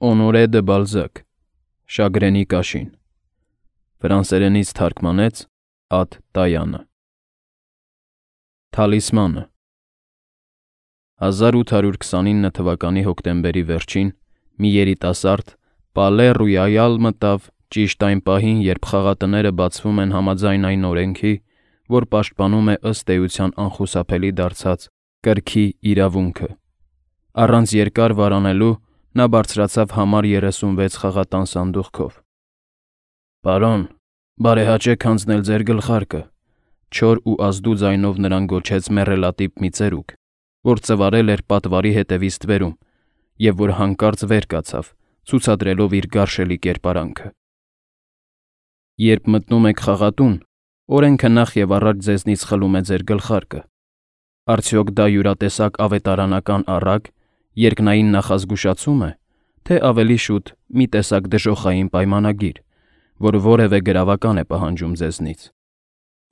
Օնորե դը Բալզակ, Շագրենի Կաշին, ֆրանսերենից թարգմանեց Ատ Տայանը։ Թալիսմանը 1829 թվականի հոկտեմբերի վերջին մի երիտասարդ Պալե Ռոյալ մտավ ճիշտ այն պահին, երբ խաղատները բացվում են համաձայն այն օրենքի, որ պաշտպանում է ըստ էության անխուսափելի դարձած կրքի իրավունքը։ Առանց երկար վարանելու նա բարձրացավ համար 36 խաղատան սանդուղքով։ «Պարոն, բարեհաճեք հանձնել ձեր գլխարկը», չոր ու ազդու ձայնով նրան գոչեց մեռելատիպ մի ծերուկ, որ ծվարել էր պատվարի հետևից ստվերում և որ հանկարծ վեր կացավ, ցուցադրելով իր գարշելի կերպարանքը։ «Երբ մտնում եք խաղատուն, օրենքը նախ և առաջ ձեզնից խլում է ձեր գլխարկը։ Արդյոք դա յուրատեսակ ավետարանական առակ, երկնային նախազգուշացում է, թե ավելի շուտ մի տեսակ դժոխային պայմանագիր, որ որևէ գրավական է պահանջում ձեզնից։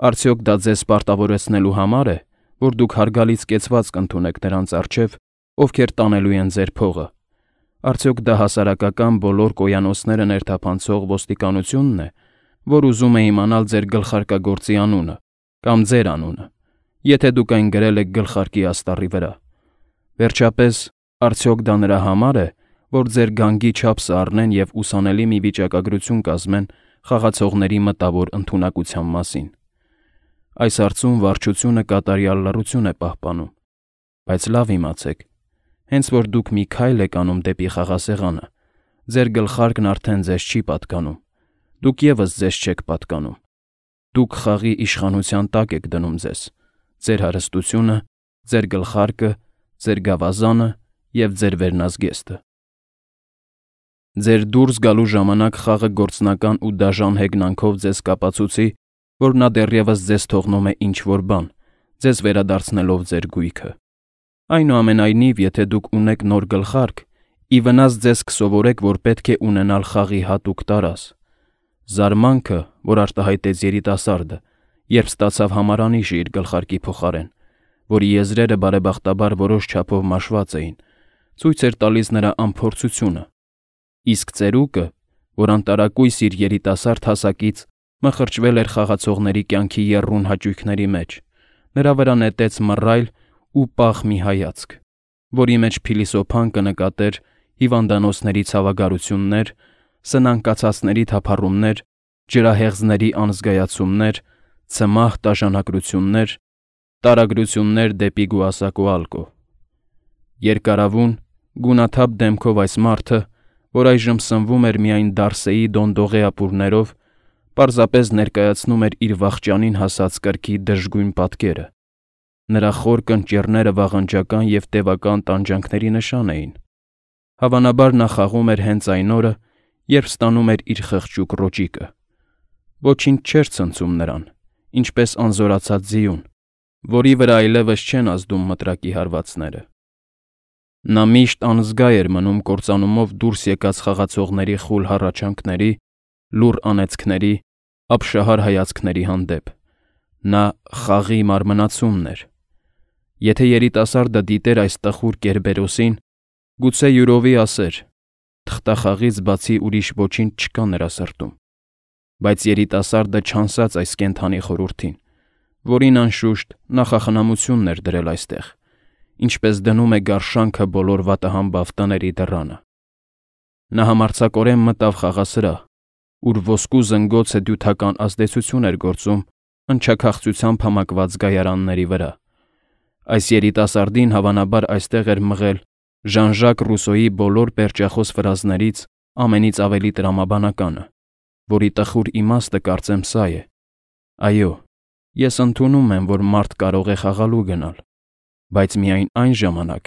Արդյոք դա ձեզ պարտավորեցնելու համար է, որ դուք հարգալից կեցվածք ընդունեք նրանց առջև, ովքեր տանելու են ձեր փողը։ Արդյոք դա հասարակական բոլոր կոյանոցները ներթափանցող ոստիկանությունն է, որ ուզում է իմանալ ձեր գլխարկագործի անունը կամ ձեր անունը, եթե դուք այն գրել եք գլխարկի աստառի վրա։ Վերջապես, արդյոք դա նրա համար է, որ ձեր գանգի չափսը առնեն և ուսանելի մի վիճակագրություն կազմեն խաղացողների մտավոր ընդունակության մասին։ Այս հարցում վարչությունը կատարյալ լռություն է պահպանում, բայց լավ իմացեք, հենց որ դուք մի քայլ եք անում դեպի խաղասեղանը, ձեր գլխարկն արդեն ձեզ չի պատկանում, դուք ևս ձեզ չեք պատկանում, դուք խաղի իշխանության տակ եք դնում ձեզ, ձեր հարստությունը, ձեր գլխարկը, ձեր գավազանը և ձեր վերնազգեստը։ Ձեր դուրս գալու ժամանակ խաղը գործնական ու դաժան հեգնանքով ձեզ կապացուցի, որ նա դեռևս ձեզ թողնում է ինչ-որ բան, ձեզ վերադարձնելով ձեր գույքը։ Այնուամենայնիվ, եթե դուք ունեք նոր գլխարկ, ի վնաս ձեզ կսովորեք, որ պետք է ունենալ խաղի հատուկ տարազ։ Զարմանքը, որ արտահայտեց երիտասարդը, երբ ստացավ համարանիշը իր գլխարկի փոխարեն, որի եզրերը բարեբախտաբար որոշ չափով մաշված էին, ցույց էր տալիս նրա անփորձությունը, իսկ ծերուկը, որ անտարակույս իր երիտասարդ հասակից մխրճվել էր խաղացողների կյանքի եռուն հաճույքների մեջ, նրա վրա նետեց մռայլ ու պաղ մի հայացք, որի մեջ փիլիսոփան կնկատեր հիվանդանոցների ցավագարություններ, սնանկացածների թափառումներ, ջրահեղձների անզգայացումներ, ցմահ տաժանակրություններ, տարագրություններ դեպի գուասակո ալկո։ Երկարավուն, գունաթափ դեմքով այս մարդը, որ այժմ սնվում էր միայն Դարսեի դոնդողե ապուրներով, պարզապես ներկայացնում էր իր վախճանին հասած կրքի դժգույն պատկերը։ Նրա խոր կնճիռները վաղնջական և տևական տանջանքների նշան էին։ Հավանաբար նա խաղում էր հենց այն օրը, երբ ստանում էր իր խղճուկ ռոճիկը։ Ոչինչ չէր ցնցում նրան, ինչպես անզորացած ձիուն, որի վրա այլևս չեն ազդում մտրակի հարվածները։ Նա միշտ անզգա էր մնում կործանումով դուրս եկած խաղացողների խուլ հառաչանքների, լուռ անեծքների, ապշահար հայացքների հանդեպ։ Նա խաղի մարմնացումն էր։ Եթե երիտասարդը դիտեր այս տխուր Կերբերոսին, գուցե յուրովի ասեր. թղթախաղից բացի ուրիշ ոչինչ չկա նրա սրտում։ Բայց երիտասարդը չանսաց այս կենդանի խորհրդին, որին անշուշտ նախախնամությունն էր դրել այստեղ, ինչպես դնում է գարշանքը բոլոր վատահամբավ տների դռանը։ Նա համարձակորեն մտավ խաղասրահ, ուր ոսկու զնգոցը դյութական ազդեցություն էր գործում ընչաքաղցությամբ համակված գայարանների վրա։ Այս երիտասարդին հավանաբար այստեղ էր մղել Ժան-Ժակ Ռուսոյի բոլոր պերճախոս ֆրազներից ամենից ավելի տրամաբանականը, որի տխուր իմաստը կարծեմ սա է. այո, ես ընդունում եմ, որ մարդ կարող է խաղալու գնալ, բայց միայն այն ժամանակ,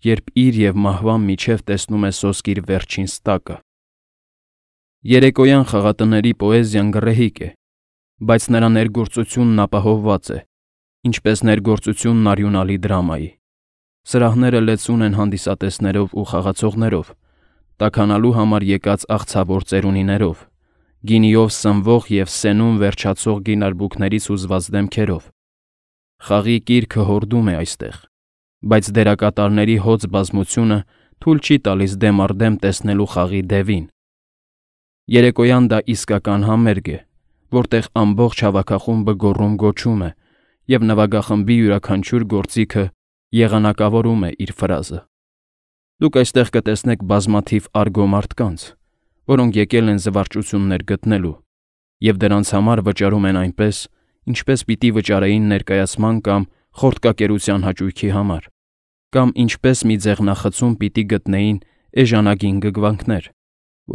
երբ իր և մահվան միջև տեսնում է սոսկ իր վերջին ստակը։ Երեկոյան խաղատների պոեզիան գռեհիկ է, բայց նրա ներգործությունն ապահովված է, ինչպես ներգործությունն արյունալի դրամայի։ Սրահները լեցուն են հանդիսատեսներով ու խաղացողներով, տաքանալու համար եկած աղցավոր ծերունիներով, գինիով սնվող և սենում վերջացող գինարբուքներից հուզված դեմքերով։ Խաղի կիրքը հորդում է այստեղ, բայց դերակատարների հոծ բազմությունը թույլ չի տալիս դեմ առ դեմ տեսնելու խաղի դևին։ Երեկոյան դա իսկական համերգ է, որտեղ ամբողջ հավաքախումբը գոռում-գոչում է, և նվագախմբի յուրաքանչյուր գործիքը եղանակավորում է իր ֆրազը։ Դուք այստեղ կտեսնեք բազմաթիվ արգո մարդկանց, որոնք եկել են զվարճություններ գտնելու, և դրանց համար վճարում են այնպես, ինչպես պիտի վճարեին ներկայացման կամ խորտկակերության հաճույքի համար, կամ ինչպես մի ձեղնախցում պիտի գտնեին էժանագին գգվանքներ,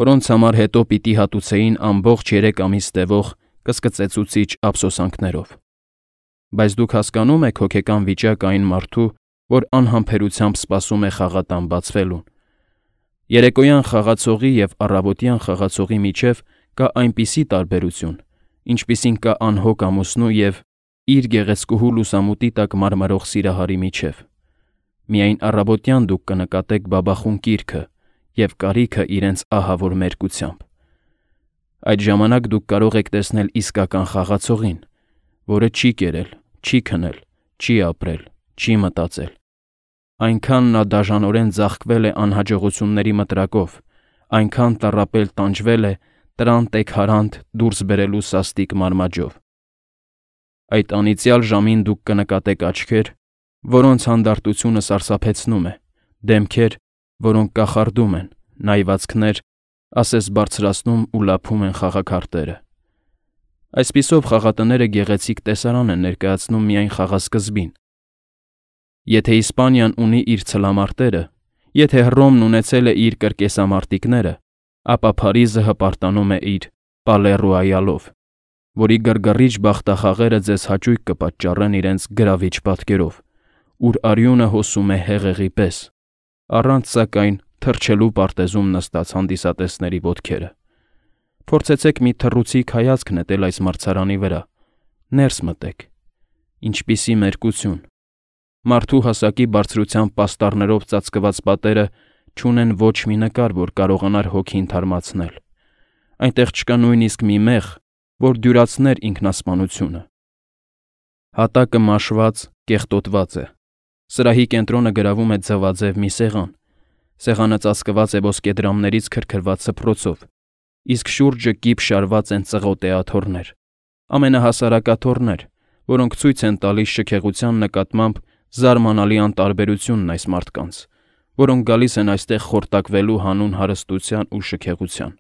որոնց համար հետո պիտի հատուցեին ամբողջ 3 ամիս տևող կսկծեցուցիչ ափսոսանքներով։ Բայց դուք հասկանում եք հոգեկան վիճակ այն մարդու, որ անհամբերությամբ սպասում է խաղատան բացվելուն։ Երեկոյան խաղացողի և առավոտյան խաղացողի միջև կա այնպիսի տարբերություն, ինչպիսին կա անհոգ ամուսնու և իր գեղեցկուհու լուսամուտի տակ մարմրող սիրահարի միջև։ Միայն առավոտյան դուք կնկատեք բաբախուն կիրքը և կարիքը իրենց ահավոր մերկությամբ։ Այդ ժամանակ դուք կարող եք տեսնել իսկական խաղացողին, որը չի կերել, չի քնել, չի ապրել, չի մտածել։ Այնքան նա դաժանորեն ձաղկվել է անհաջողությունների մտրակով, այնքան տառապել տանջվել է տրանտ-էգ-հարանտ դուրս բերելու սաստիկ մարմաջով։ Այդ անիծյալ ժամին դուք կնկատեք աչքեր, որոնց հանդարտությունը սարսափեցնում է, դեմքեր, որոնք կախարդում են, նայվածքներ, ասես բարձրացնում ու լափում են խաղաքարտերը։ Այսպիսով խաղատները գեղեցիկ տեսարան են ներկայացնում միայն խաղասկզբին։ Եթե Իսպանիան ունի իր ցլամարտերը, եթե Հռոմն ունեցել է իր կրկեսամարտիկները, ապա Փարիզը հպարտանում է իր Պալե Ռոյալով, որի գրգռիչ բախտախաղերը ձեզ հաճույք կպատճառեն իրենց գրավիչ պատկերով, ուր արյունը հոսում է հեղեղի պես, առանց սակայն թռչելու պարտեզում նստած հանդիսատեսների ոտքերը։ Փորձեցեք մի թռուցիկ հայացք նետել այս մրցարանի վրա, ներս մտեք։ Ինչպիսի մերկություն։ Մարդու հասակի բարձրությամբ պաստառներով ծածկված պատերը չունեն ոչ մի նկար, որ կարողանար հոգին թարմացնել։ Այնտեղ չկա նույնիսկ մի մեղ, որ դյուրացներ ինքնասպանությունը։ Հատակը մաշված, կեղտոտված է։ Սրահի կենտրոնը գրավում է ձվաձև մի սեղան։ Սեղանը ծածկված է ոսկեդրամներից քրքրված սփռոցով, իսկ շուրջը կիպ շարված են ծղոտե աթոռներ, ամենահասարակաթոռներ, որոնք ցույց են տալիս շքեղության նկատմամբ զարմանալի անտարբերությունն այս մարդկանց, որոնք գալիս են այստեղ խորտակվելու հանուն հարստության ու շքեղության։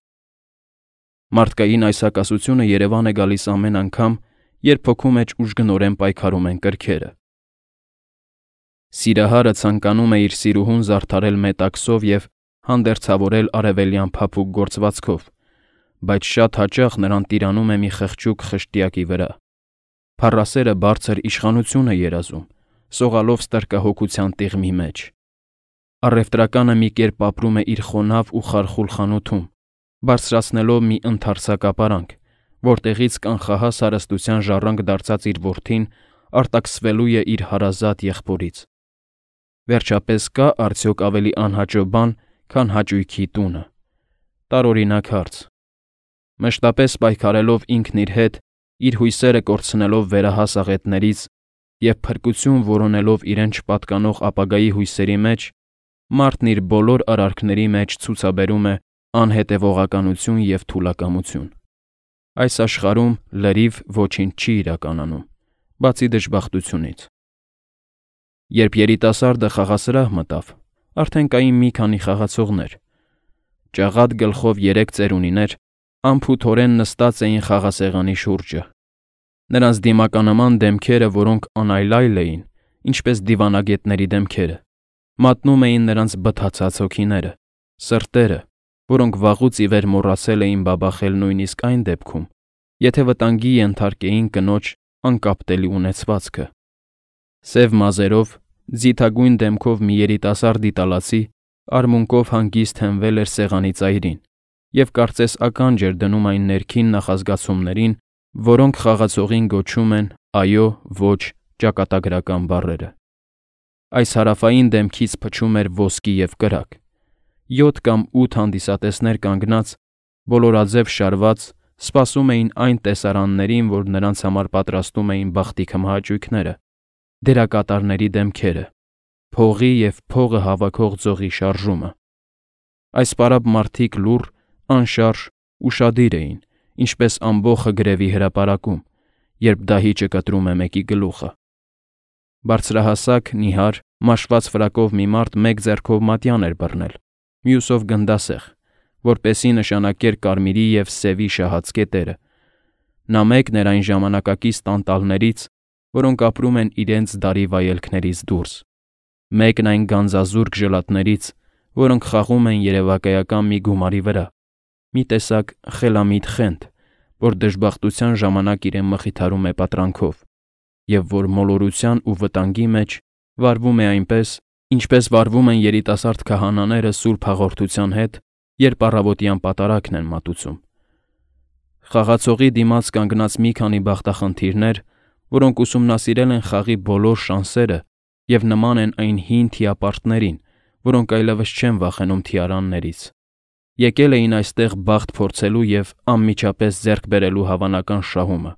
Մարդկային այս հակասությունը Երևան է գալիս ամեն անգամ, երբ հոգու մեջ ուժգնորեն պայքարում են կրքերը։ Սիրահարը ցանկանում է իր սիրուհուն զարդարել մետաքսով և հանդերձավորել արևելյան փափուկ գործվածքով, բայց շատ հաճախ նրան տիրանում է մի խղճուկ խշտյակի վրա։ Փառասերը բարձր իշխանություն է երազում, սողալով ստրկահոգության տիղմի մեջ։ Առևտրականը մի կերպ ապրում է իր խոնավ ու խարխուլ խանութում, բարձրացնելով մի ընդարձակապարանք, որտեղից կանխահաս հարստության ժառանգ դարձած իր որդին արտաքսվելու է իր հարազատ եղբորից։ Վերջապես կա արդյոք ավելի անհաճո բան, քան հաճույքի տունը։ Տարօրինակ հարց։ Մշտապես պայքարելով ինքն իր հետ, իր հույսերը կորցնելով վերահաս աղետներից և փրկություն որոնելով իրեն չպատկանող ապագայի հույսերի մեջ, մարդն իր բոլոր արարքների մեջ ցուցաբերում է անհետևողականություն և թուլակամություն։ Այս աշխարհում լրիվ ոչինչ չի իրականանում, բացի դժբախտությունից։ Երբ երիտասարդը խաղասրահ մտավ, արդեն կային մի քանի խաղացողներ։ Ճաղատ գլխով 3 ծերունիներ անփութորեն նստած էին խաղասեղանի շուրջը։ Նրանց դիմականաման դեմքերը, որոնք անայլայլ էին, ինչպես դիվանագետների դեմքերը, մատնում էին նրանց բթացած հոգիները, սրտերը, որոնք վաղուց ի վեր մոռացել էին բաբախել նույնիսկ այն դեպքում, եթե վտանգի ենթարկեին կնոջ անկապտելի ունեցվածքը։ Սև մազերով, ձիթագույն դեմքով մի երիտասարդ իտալացի արմունկով հանգիստ հենվել էր սեղանի ծայրին և կարծես ականջ էր դնում այն ներքին նախազգացումներին, որոնք խաղացողին գոչում են «այո», «ոչ» ճակատագրական բառերը։ Այս հարավային դեմքից փչում էր ոսկի և կրակ։ 7 կամ 8 հանդիսատեսներ կանգնած, բոլորաձև շարված, սպասում էին այն տեսարաններին, որ նրանց համար պատրաստում էին բախտի քմահաճույքները, դերակատարների դեմքերը, փողի և փողը հավաքող ձողի շարժումը։ Այս պարապ մարդիկ լուռ, անշարժ, ուշադիր էին, ինչպես ամբոխը գրևի հրապարակում, երբ դահիճը կտրում է մեկի գլուխը։ Բարձրահասակ, նիհար, մաշված ֆրակով մի մարդ մեկ ձեռքով մատյան էր բռնել, մյուսով գնդասեղ, որպեսզի նշանակեր կարմիրի և սևի շահած կետերը։ Նա մեկն էր այն ժամանակակից տանտալներից, որոնք ապրում են իրենց դարի վայելքներից դուրս, մեկն այն գանձազուրկ ժլատներից, որոնք խաղում են երևակայական մի գումարի վրա, մի տեսակ խելամիտ խենթ, որ դժբախտության ժամանակ իրեն մխիթարում է պատրանքով, և որ մոլորության ու վտանգի մեջ վարվում է այնպես, ինչպես վարվում են երիտասարդ քահանաները սուրբ հաղորդության հետ, երբ առավոտյան պատարագն են մատուցում։ Խաղացողի դիմաց կանգնած մի քանի բախտախնդիրներ, որոնք ուսումնասիրել են խաղի բոլոր շանսերը և նման են այն հին թիապարտներին, որոնք այլևս չեն վախենում թիարաններից։ Եկել էին այստեղ բախտ փորձելու և անմիջապես ձեռք բերելու հավանական շահումը,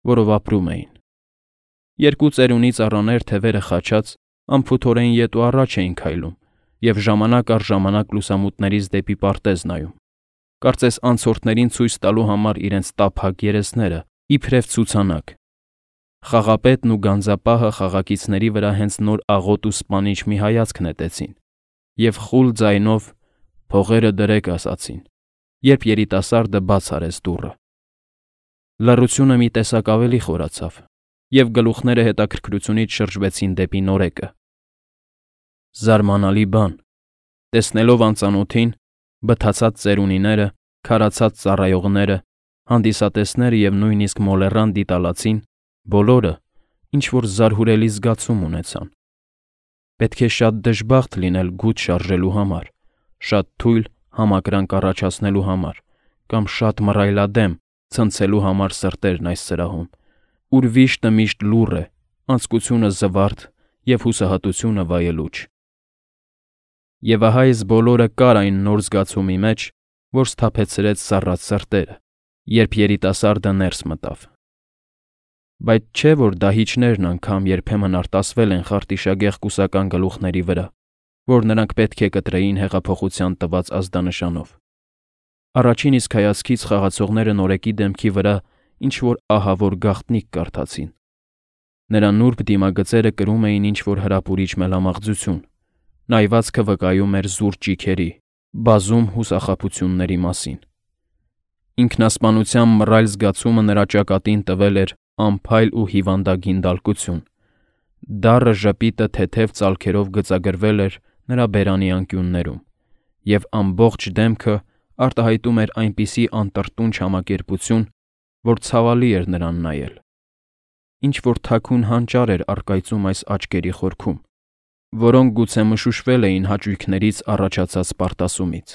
որով ապրում էին։ Երկու ծերունի ծառաներ թևերը խաչած անփութորեն ետ ու առաջ էին քայլում և ժամանակ առ ժամանակ լուսամուտներից դեպի պարտեզ նայում, կարծես անցորդներին ցույց տալու համար իրենց տափակ երեսները, իբրև ցուցանակ։ Խաղապետն ու գանձապահը խաղակիցների վրա հենց նոր աղոտ ու սպանիչ մի հայացք նետեցին և խուլ ձայնով «Փողերը դրեք» ասացին, երբ երիտասարդը բաց արեց դուռը։ Լռությունը մի տեսակ ավելի խորացավ, և գլուխները հետաքրքրությունից շրջվեցին դեպի նորեկը։ Զարմանալի բան, տեսնելով անծանոթին, բթացած ծերունիները, քարացած ծառայողները, հանդիսատեսները և նույնիսկ մոլեռան դիտալացին, բոլորը ինչ-որ զարհուրելի զգացում ունեցան։ Պետք է շատ դժբախտ լինել գութ շարժելու համար, շատ թույլ համակրանք առաջացնելու համար, կամ շատ մռայլադեմ ցնցելու համար սրտերն այս սրահում, ուր վիշտը միշտ լուռ է, անձկությունը զվարթ և հուսահատությունը վայելուչ։ Եվ ահա այս բոլորը կար այն նոր զգացումի մեջ, որ սթափեցրեց սառած սրտերը, երբ երիտասարդը ներս մտավ։ Բայց չէ՞ որ դահիճներն անգամ երբեմն արտասվել են խարտիշագեղ կուսական գլուխների վրա, որ նրանք պետք է կտրեին հեղափոխության տված ազդանշանով։ Առաջին իսկ հայացքից խաղացողները նորեկի դեմքի վրա ինչ-որ ահավոր գաղտնիք կարդացին։ Նրա նուրբ դիմագծերը կրում էին ինչ-որ հրապուրիչ մելամաղձություն, նայվածքը վկայում էր զուր ճիգերի, բազում հուսախաբությունների մասին։ Ինքնասպանության մռայլ զգացումը նրա ճակատին տվել էր անփայլ ու հիվանդագին դալկություն։ Դառը ժպիտը թեթև ծալքերով գծագրվել էր նրա բերանի անկյուններում, և ամբողջ դեմքը արտահայտում էր այնպիսի անտրտունջ համակերպություն, որ ցավալի էր նրան նայել։ Ինչ-որ թաքուն հանճար էր առկայծում այս աչքերի խորքում, որոնք գուցե մշուշվել էին հաճույքներից առաջացած պարտասումից։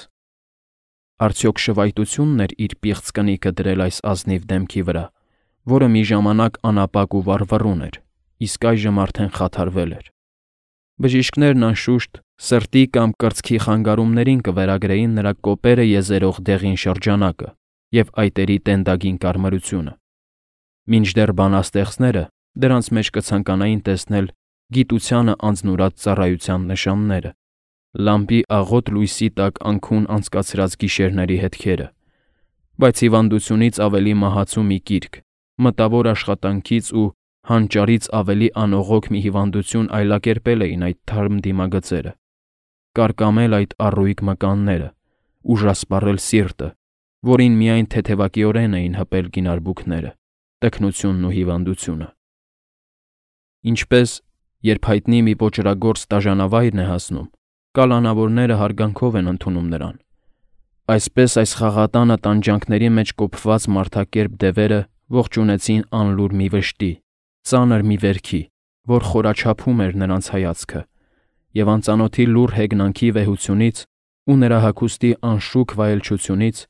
Արդյոք շվայտությունն էր իր պիղծ կնիքը դրել այս ազնիվ դեմքի վրա, որը մի ժամանակ անապակ ու վառվռուն էր, իսկ այժմ արդեն խաթարվել էր։ Բժիշկներն անշուշտ սրտի կամ կրծքի խանգարումներին կվերագրեին նրա կոպերը եզերող դեղին շրջանակը և այտերի տենդագին կարմրությունը, մինչդեռ բանաստեղծները դրանց մեջ կցանկանային տեսնել գիտությանը անձնուրած ծառայության նշանները, լամպի աղոտ լույսի տակ անքուն անցկացրած գիշերների հետքերը, բայց հիվանդությունից ավելի մահացու մի կիրք, մտավոր աշխատանքից ու հանճարից ավելի անողոք մի հիվանդություն այլակերպել էին այդ թարմ դիմագծերը, կարկամել այդ առույգ մկանները, ուժասպառել սիրտը, որին միայն թեթևակիորեն էին հպել գինարբուքները, տքնությունն ու հիվանդությունը։ Ինչպես, երբ հայտնի մի ոճրագործ տաժանավայրն է հասնում, կալանավորները հարգանքով են ընդունում նրան, այսպես այս խաղատանը տանջանքների մեջ կոփված մարդակերպ դևերը ողջունեցին անլուր մի վշտի, ծանր մի վերքի, որ խորաչափում էր նրանց հայացքը, և անծանոթի լուռ հեգնանքի վեհությունից ու նրա հագուստի անշուք վայելչությունից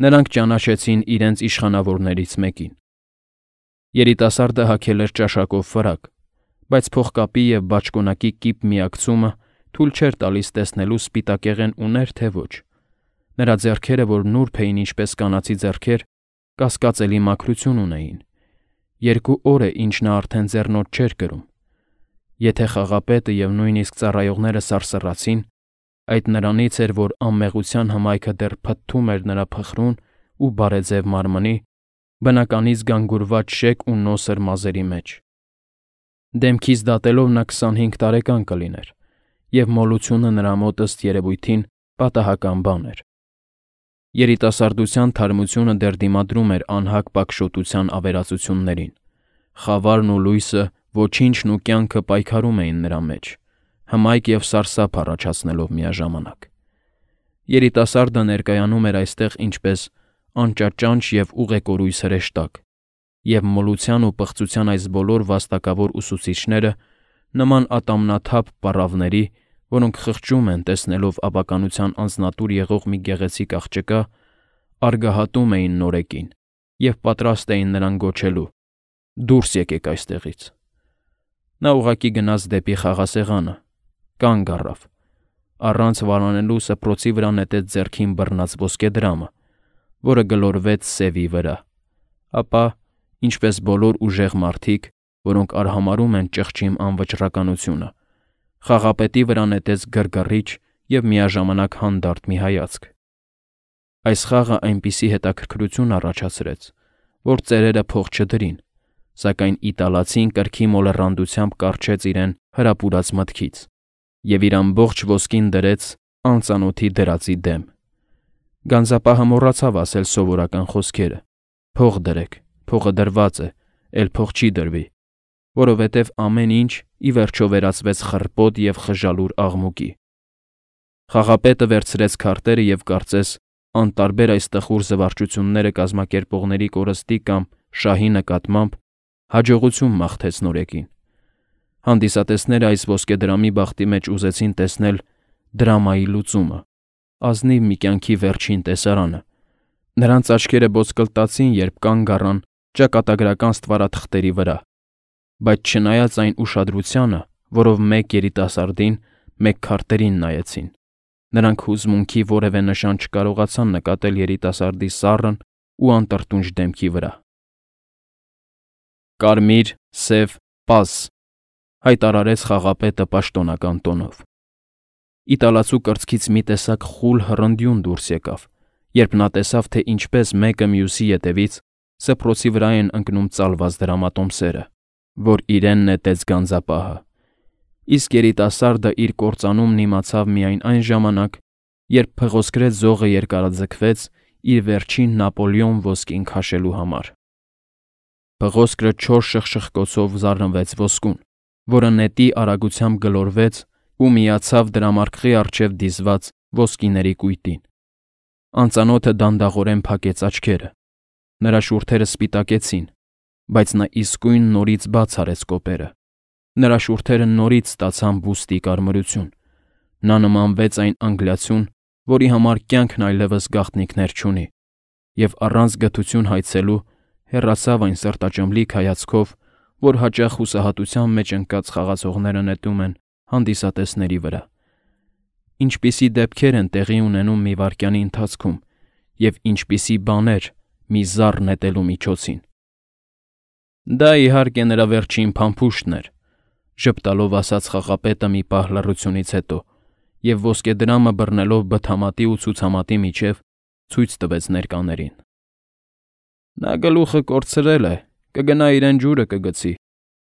նրանք ճանաչեցին իրենց իշխանավորներից մեկին։ Երիտասարդը հագել էր ճաշակով ֆրակ, բայց փողկապի և բաճկոնակի կիպ միակցումը թույլ չէր տալիս տեսնելու սպիտակեղեն ուներ թե ոչ։ Նրա ձեռքերը, որ նուրբ էին ինչպես կանացի ձեռքեր, կասկածելի մաքրություն ունեին։ 2 օր է, ինչ նա արդեն ձեռնոտ չէր կրում։ Եթե խաղապետը և նույնիսկ ծառայողները սարսռացին, այդ նրանից էր, որ անմեղության հմայքը դեռ փթթում էր նրա փխրուն ու բարեձև մարմնի, բնականից գանգուրված շեկ ու նոսր մազերի մեջ։ Դեմքից դատելով նա 25 տարեկան կլիներ, և մոլությունը նրա մոտ ըստ երևույթին պատահական բան էր։ Երիտասարդության թարմությունը դեռ դիմադրում էր անհագ պակշոտության ավերածություններին։ Խավարն ու լույսը, ոչինչն ու կյանքը պայքարում էին նրա մեջ, հմայք և սարսափ առաջացնելով միաժամանակ։ Երիտասարդը ներկայանում էր այստեղ ինչպես անճաճանչ և ուղեկորույս հրեշտակ, և մոլության ու պղծության այս բոլոր վաստակավոր ուսուցիչները, նման ատամնաթափ պառավների, որոնք խղճում են, տեսնելով ապականության անձնատուր եղող մի գեղեցիկ աղջկա, արգահատում էին նորեկին և պատրաստ էին նրան գոչելու. «Դուրս եկեք այստեղից»։ Նա ուղղակի գնաց դեպի խաղասեղանը, կանգ առավ, առանց վարանելու սփռոցի վրա նետեց ձեռքին բռնած ոսկեդրամը, որը գլորվեց սևի վրա, ապա, ինչպես բոլոր ուժեղ մարդիկ, որոնք արհամարհում են ճղճի անվճռականությունը, խաղապետի վրա նետեց գրգռիչ և միաժամանակ հանդարտ մի հայացք։ Այս խաղը այնպիսի հետաքրքրություն առաջացրեց, որ ծերերը փող չդրին, սակայն իտալացին կրքի մոլեռանդությամբ կառչեց իրեն հրապուրած մտքից և իր ամբողջ ոսկին դրեց անծանոթի դրածի դեմ։ Գանձապահը մոռացավ ասել սովորական խոսքերը. «Փող դրեք, փողը դրված է, էլ փող չի դրվի», որովհետև ամեն ինչ ի վերջո վերածվեց խռպոտ և խժալուր աղմուկի։ Խաղապետը վերցրեց քարտերը և կարծես անտարբեր այս տխուր զվարճությունները կազմակերպողների կորստի կամ շահի նկատմամբ հաջողություն մաղթեց նորեկին։ Հանդիսատեսները այս ոսկեդրամի բախտի մեջ ուզեցին տեսնել դրամայի լուծումը, ազնիվ մի կյանքի վերջին տեսարանը։ Նրանց աչքերը ոսկլտացին, երբ կանգ առան ճակատագրական ստվարաթղթերի վրա, բայց չնայած այն ուշադրությանը, որով մեկ երիտասարդին, մեկ քարտերին նայեցին, նրանք հուզմունքի որևէ նշան չկարողացան նկատել երիտասարդի սառն ու անտրտունջ դեմքի վրա։ «Կարմիր, սև, պազ», հայտարարեց խաղապետը պաշտոնական տոնով։ Իտալացու կրծքից մի տեսակ խուլ հռնդյուն դուրս եկավ, երբ նա տեսավ, թե ինչպես մեկը մյուսի ետևից սփռոցի վրա են ընկնում ծալված դրամատոմսերը, որ իրեն նետեց գանձապահը, իսկ երիտասարդը իր կործանումն իմացավ միայն այն ժամանակ, երբ փղոսկրեց զողը երկարաձգվեց իր վերջին Նապոլեոն ոսկին քաշելու համար։ Փղոսկրը չոր շխշխկոցով զառնվեց ոսկուն, որը նետի արագությամբ գլորվեց ու միացավ դրամարկղի առջև դիզված ոսկիների կույտին։ Անծանոթը դանդաղորեն փակեց աչքերը։ Նրա շուրթերը սպիտակեցին, բայց նա իսկույն նորից բաց արեց կոպերը։ Նրա շուրթերը նորից ստացան բուստի կարմրություն։ Նա նմանվեց այն անգլիացուն, որի համար կյանքն այլևս գաղտնիքներ չունի, և առանց գթություն հայցելու հեռացավ այն սրտաճմլիկ հայացքով, որ հաճախ հուսահատության մեջ ընկած խաղացողները նետում են հանդիսատեսների վրա։ Ինչպիսի դեպքեր են տեղի ունենում մի վայրկյանի ընթացքում և ինչպիսի բաներ մի զառ նետելու միջոցին։ Դա, իհարկե, նրա վերջին փամփուշտն էր, ժպտալով ասաց խաղապետը մի պահ լռությունից հետո, և ոսկեդրամը բռնելով բթամատի ու ցուցամատի միջև ցույց տվեց ներկաներին։ Նա գլուխը կորցրել է, կգնա իրեն ջուրը կգցի,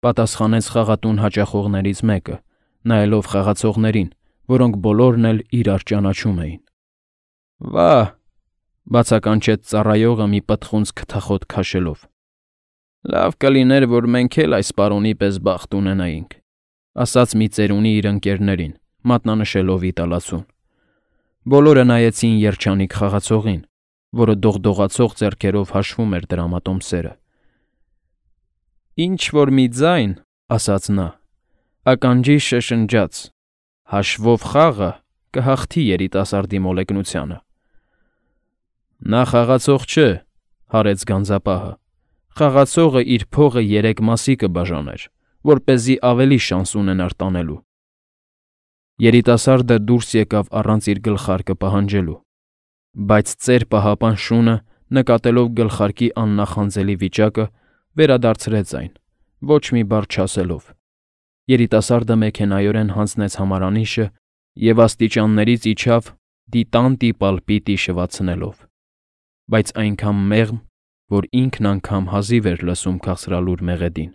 պատասխանեց խաղատուն հաճախողներից մեկը, նայելով խաղացողներին, որոնք բոլորն էլ իրար ճանաչում էին։ Վա՜հ, բացականչեց ծառայողը մի պտխունց քթախոտ քաշելով։ Լավ կլիներ, որ մենք էլ այս պարոնի պես բախտ ունենայինք, ասաց մի ծերունի իր ընկերներին, մատնանշելով իտալացուն։ Բոլորը նայեցին երջանիկ խաղացողին, որը դողդողացող ձեռքերով հաշվում էր դրամատոմսերը։ Ինչ-որ մի ձայն, ասաց նա, ականջի շշնջաց, հաշվով խաղը կհաղթի երիտասարդի մոլեգնությանը։ Նա խաղացող չէ, հարեց գանձապահը։ Խաղացողը իր փողը 3 մասի կբաժաներ, որպեսզի ավելի շանս ունենար տանելու։ Երիտասարդը դուրս եկավ առանց իր գլխարկը պահանջելու, բայց ծեր պահապան շունը, նկատելով գլխարկի աննախանձելի վիճակը, վերադարձրեց այն, ոչ մի բառ չասելով։ Երիտասարդը մեքենայորեն հանձնեց համարանիշը և աստիճաններից իջավ դիտան տիպալ-պիտի շվացնելով, բայց այնքան մեղմ, որ ինքն անգամ հազիվ էր լսում քաղցրալուր մեղեդին։